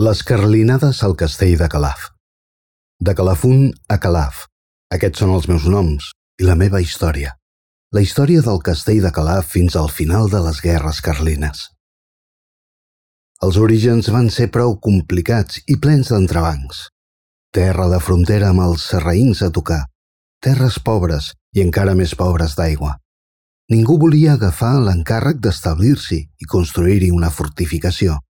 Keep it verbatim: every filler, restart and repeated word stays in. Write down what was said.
Les carlinades al castell de Calaf. De Calafún a Calaf. Aquests són els meus noms i la meva història. La història del castell de Calaf fins al final de les guerres carlines. Els orígens van ser prou complicats i plens d'entrebancs. Terra de frontera amb els sarraïns a tocar, terres pobres i encara més pobres d'aigua. Ningú volia agafar l'encàrrec d'establir-s'hi i construir-hi una fortificació.